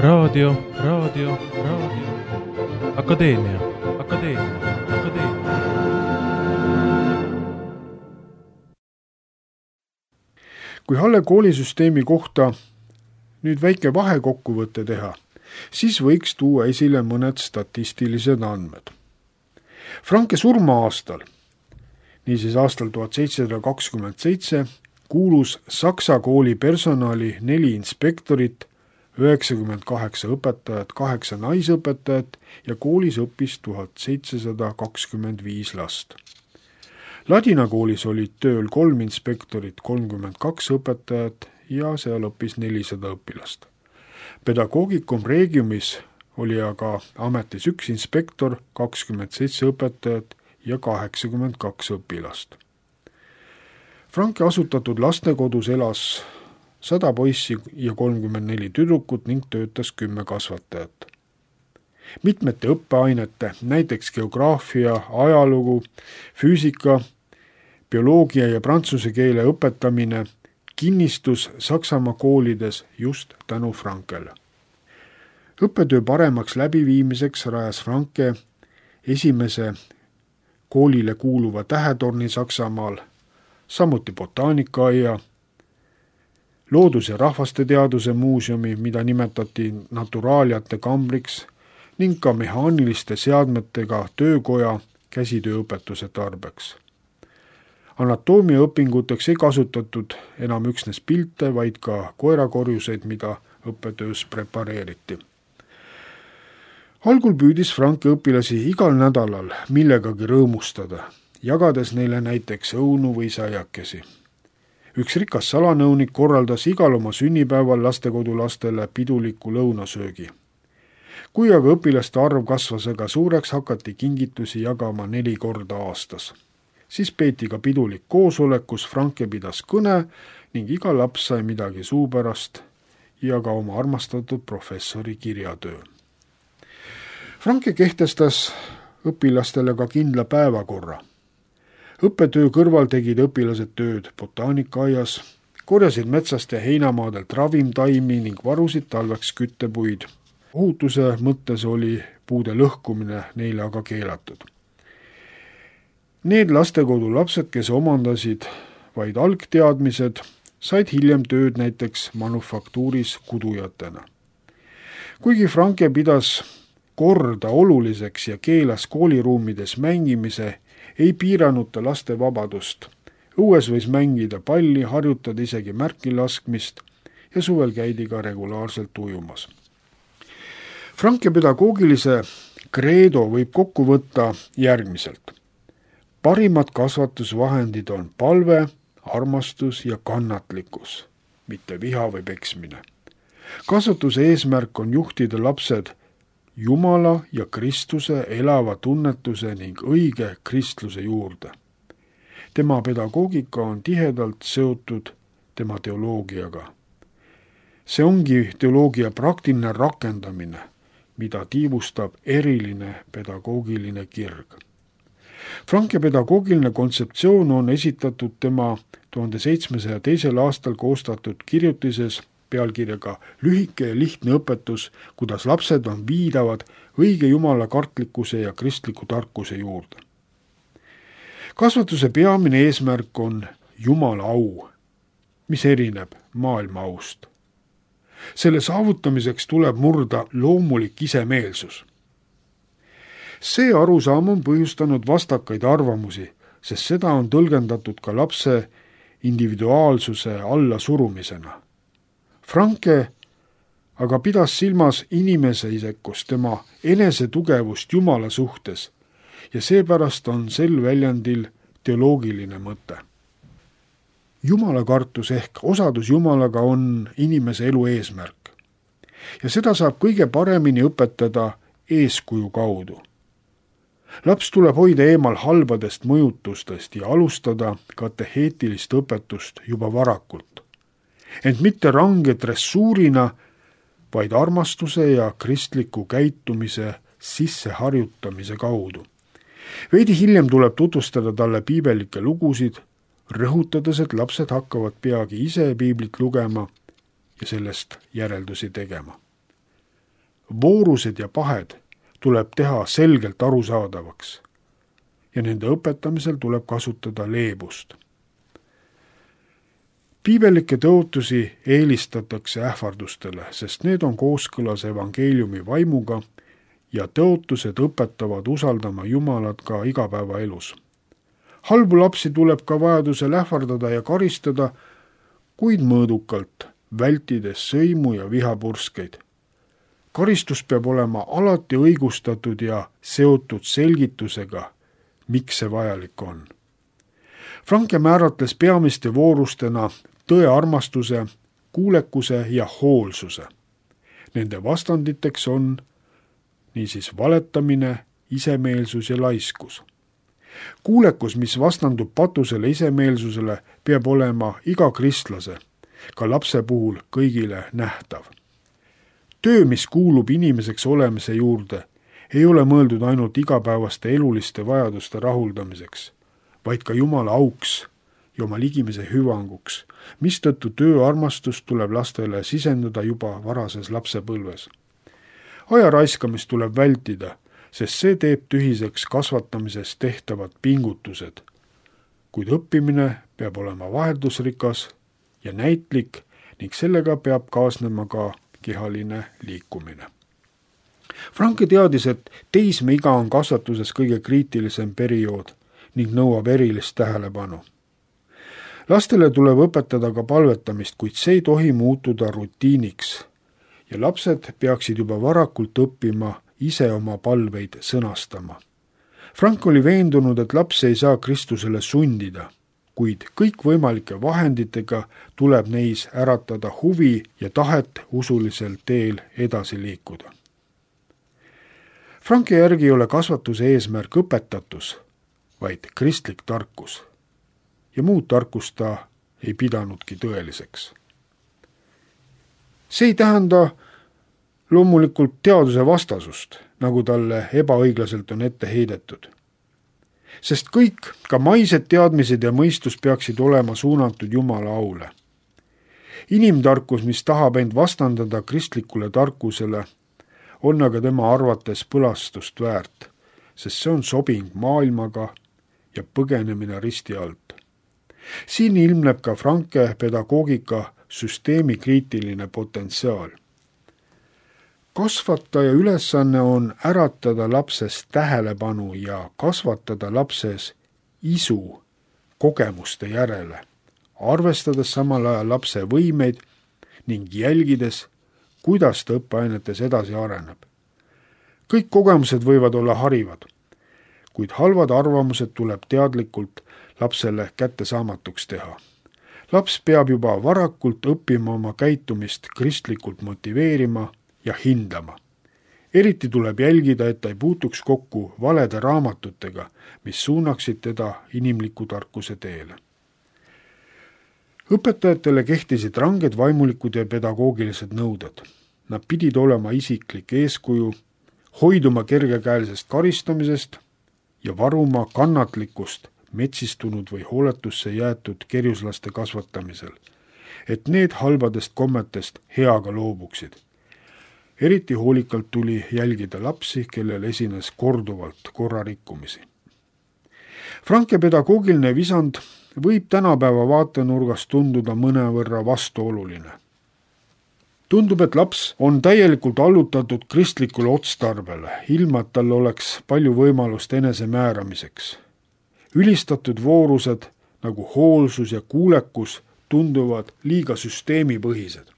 Raadio. Akadeemia. Kui Halle koolisüsteemi kohta nüüd väike vahekokkuvõtte teha, siis võiks tuua esile mõned statistilised andmed. Franke surma-aastal, niisiis aastal 1727, kuulus Saksa kooli personali 4 inspektorit 98 õpetajat, 8 naisõpetajat ja koolis õppis 1725 last. Ladina koolis olid tööl 3 inspektorit, 32 õpetajat ja seal õppis 400 õpilast. Pedagoogicum Regiumis oli aga ametis 1 inspektor, 27 õpetajat ja 82 õpilast. Franke asutatud lastekodus elas 100 poissi ja 34 tüdrukut ning töötas 10 kasvatajat. Mitmete õppeainete, näiteks geograafia, ajalugu, füüsika, bioloogia ja prantsuse keele õpetamine kinnistus Saksamaa koolides just tänu Frankele. Õppetöö paremaks läbiviimiseks rajas Franke esimese koolile kuuluva tähetorni Saksamaal, samuti botaanikaaia, loodus- ja rahvasteteaduse muuseumi, mida nimetati naturaaliate kambriks, ning ka mehaaniliste seadmetega töökoja käsitööõpetuse tarbeks. Anatoomiaõpinguteks ei kasutatud enam üksnes pilte, vaid ka koerakorjuseid, mida õppetöös prepareeriti. Algul püüdis Franke õpilasi igal nädalal millegagi rõõmustada, jagades neile näiteks õunu või saiakesi. Üks rikas salanõunik korraldas igal oma sünnipäeval lastekodulastele piduliku lõunasöögi. Kui aga õpilaste arv kasvas aga suureks, hakati kingitusi jagama 4 korda aastas. Siis peeti ka pidulik koosolek, kus Franke pidas kõne ning iga laps sai midagi suu pärast ja ka oma armastatud professori kirjatöö. Franke kehtestas õpilastele ka kindla päevakorra. Õppetöö kõrval tegid õpilased tööd botaanikaias, korjasid metsast ja heinamaadelt ravimtaimi ning varusid talveks küttepuid. Ohutuse mõttes oli puude lõhkumine neile aga keelatud. Need lastekodu lapsed, kes omandasid vaid algteadmised, said hiljem tööd näiteks manufaktuuris kudujatena. Kuigi Franke pidas korda oluliseks ja keelas kooliruumides mängimise, ei piiranud ta laste vabadust. Õues võis mängida palli, harjutada isegi märki laskmist ja suvel käidi ka regulaarselt ujumas. Franke pedagoogilise kreedo võib kokku võtta järgmiselt. Parimad kasvatusvahendid on palve, armastus ja kannatlikkus, mitte viha või peksmine. Kasvatuse eesmärk on juhtida lapsed Jumala ja Kristuse elava tunnetuse ning õige kristluse juurde. Tema pedagoogika on tihedalt seotud tema teoloogiaga. See ongi teoloogia praktiline rakendamine, mida tiivustab eriline pedagoogiline kirg. Franke pedagoogiline kontseptsioon on esitatud tema 1702. aastal koostatud kirjutises pealkirjaga Lühike ja lihtne õpetus, kuidas lapsed on viidavad õige jumala kartlikkuse ja kristliku tarkuse juurde. Kasvatuse peamine eesmärk on Jumala au, mis erineb maailma aust. Selle saavutamiseks tuleb murda loomulik isemeelsus. See arusaam on põhjustanud vastakaid arvamusi, sest seda on tõlgendatud ka lapse individuaalsuse allasurumisena. Franke aga pidas silmas inimese isekust, tema enesetugevust Jumala suhtes ja seepärast on sel väljendil teoloogiline mõte. Jumalakartus ehk osadus Jumalaga on inimese elu eesmärk ja seda saab kõige paremini õpetada eeskuju kaudu. Laps tuleb hoida eemal halbadest mõjutustest ja alustada kateheetilist õpetust juba varakult. Ent mitte range dressuurina, vaid armastuse ja kristliku käitumise sisseharjutamise kaudu. Veidi hiljem tuleb tutvustada talle piibelikke lugusid, rõhutades, et lapsed hakkavad peagi ise piiblit lugema ja sellest järeldusi tegema. Voorused ja pahed tuleb teha selgelt arusaadavaks ja nende õpetamisel tuleb kasutada leebust. Piibelikke tõotusi eelistatakse ähvardustele, sest need on kooskõlas evangeeliumi vaimuga ja tõotused õpetavad usaldama Jumalat ka igapäevaelus. Halbu lapsi tuleb ka vajadusel ähvardada ja karistada, kuid mõõdukalt, vältides sõimu ja vihapurskeid. Karistus peab olema alati õigustatud ja seotud selgitusega, miks see vajalik on. Franke määratles peamiste voorustena tõearmastuse, kuulekuse ja hoolsuse. Nende vastanditeks on niisiis valetamine, isemeelsus ja laiskus. Kuulekus, mis vastandub patusele isemeelsusele, peab olema iga kristlase, ka lapse puhul kõigile nähtav. Töö, mis kuulub inimeseks olemise juurde, ei ole mõeldud ainult igapäevaste eluliste vajaduste rahuldamiseks, vaid ka Jumala auks ja oma ligimese hüvanguks, mistõttu tööarmastust tuleb lastele sisendada juba varases lapsepõlves. Aja raiskamist tuleb vältida, sest see teeb tühiseks kasvatamises tehtavad pingutused. Kuid õppimine peab olema vaheldusrikas ja näitlik ning sellega peab kaasnema ka kehaline liikumine. Franke teadis, et teismeiga on kasvatuses kõige kriitilisem periood ning nõuab erilist tähelepanu. Lastele tuleb õpetada ka palvetamist, kuid see ei tohi muutuda rutiiniks ja lapsed peaksid juba varakult õppima ise oma palveid sõnastama. Frank oli veendunud, et laps ei saa Kristusele sundida, kuid kõikvõimalike vahenditega tuleb neis äratada huvi ja tahet usulisel teel edasi liikuda. Franki järgi ei ole kasvatuse eesmärk õpetatus, vaid kristlik tarkus. Ja muud tarkust ta ei pidanudki tõeliseks. See ei tähenda loomulikult teaduse vastasust, nagu talle ebaõiglaselt on ette heidetud. Sest kõik, ka maised teadmised ja mõistus peaksid olema suunatud Jumala aule. Inimtarkus, mis tahab end vastandada kristlikule tarkusele, on aga tema arvates põlastust väärt, sest see on sobing maailmaga ja põgenemine risti alt. Siin ilmneb ka Franke pedagoogika süsteemi kriitiline potentsiaal. Kasvataja ülesanne on äratada lapses tähelepanu ja kasvatada lapses isu kogemuste järele, arvestades samal ajal lapse võimeid ning jälgides, kuidas ta õppeainetes edasi areneb. Kõik kogemused võivad olla harivad, kuid halvad arvamused tuleb teadlikult lapsele kättesaamatuks teha. Laps peab juba varakult õppima oma käitumist kristlikult motiveerima ja hindama. Eriti tuleb jälgida, et ta ei puutuks kokku valede raamatutega, mis suunaksid teda inimliku tarkuse teele. Õpetajatele kehtisid ranged vaimulikud ja pedagoogilised nõuded. Nad pidid olema isiklik eeskuju, hoiduma kergekäelisest karistamisest ja varuma kannatlikkust metsistunud või hooletusse jäetud kerjuslaste kasvatamisel, et need halbadest kommetest heaga loobuksid. Eriti hoolikalt tuli jälgida lapsi, kellel esines korduvalt korrarikkumisi. Franke pedagoogiline visand võib tänapäeva vaatenurgast tunduda mõnevõrra vastuoluline. Tundub, et laps on täielikult allutatud kristlikule otstarbele, ilma et tal oleks palju võimalust enesemääramiseks. Ülistatud voorused nagu hoolsus ja kuulekus tunduvad liiga süsteemipõhised.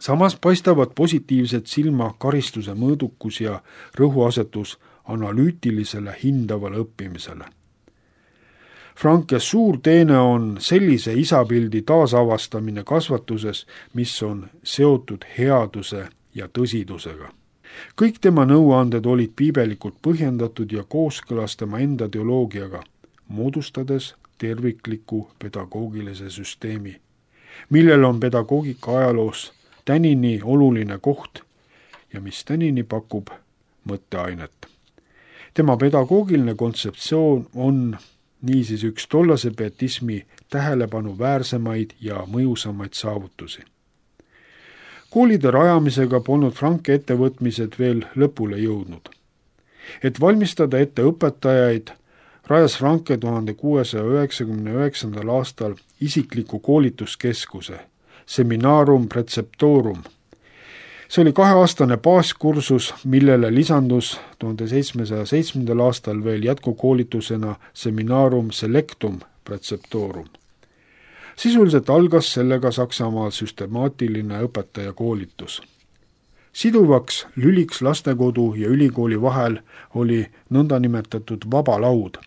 Samas paistavad positiivset silma karistuse mõõdukus ja rõhuasetus analüütilisele hindavale õppimisele. Franke suur teene on sellise isapildi taasavastamine kasvatuses, mis on seotud headuse ja tõsidusega. Kõik tema nõuanded olid piibelikult põhjendatud ja kooskõlas tema enda teoloogiaga, moodustades tervikliku pedagoogilise süsteemi, millel on pedagoogika ajaloos tänini oluline koht ja mis tänini pakub mõtteainet. Tema pedagoogiline kontseptsioon on niisiis üks tollase pietismi tähelepanu väärsemaid ja mõjusamaid saavutusi. Koolide rajamisega polnud Franke ettevõtmised veel lõpule jõudnud. Et valmistada ette õpetajaid, rajas Franke 1699. aastal isikliku koolituskeskuse Seminarum Preceptorum. See oli 2-aastane baaskursus, millele lisandus 1707. aastal veel jätkukoolitusena Seminarum Selectum Preceptorum. Sisuliselt algas sellega Saksamaal süstemaatiline õpetajakoolitus. Siduvaks lüliks lastekodu ja ülikooli vahel oli nõndanimetatud vaba laud,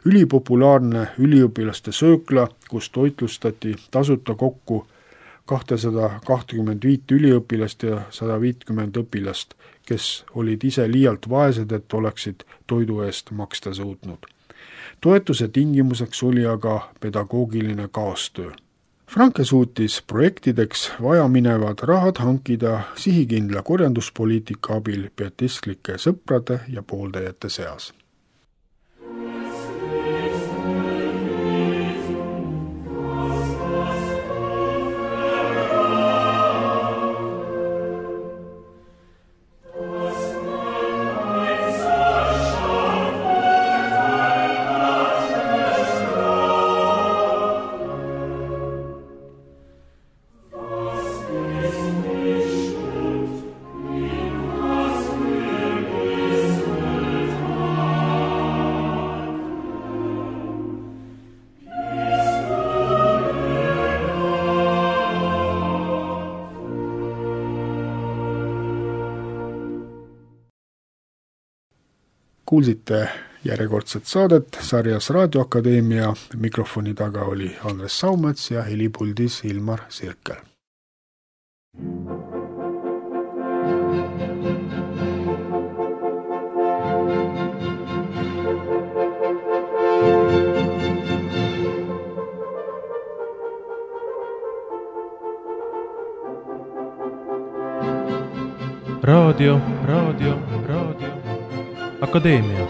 ülipopulaarne üliõpilaste söökla, kus toitlustati tasuta kokku 225 üliõpilast ja 150 õpilast, kes olid ise liialt vaesed, et oleksid toidu eest maksta suutnud. Toetuse tingimuseks oli aga pedagoogiline kaastöö. Franke suutis projektideks vajaminevad rahad hankida sihikindla korjanduspoliitika abil pietistlike sõprade ja pooldajate seas. Kuulsite järjekordset saadet sarjas Raadioakadeemia. Mikrofoni taga oli Andres Saumets ja helipuldis Ilmar Sirkel. Raadio. Akadeemia.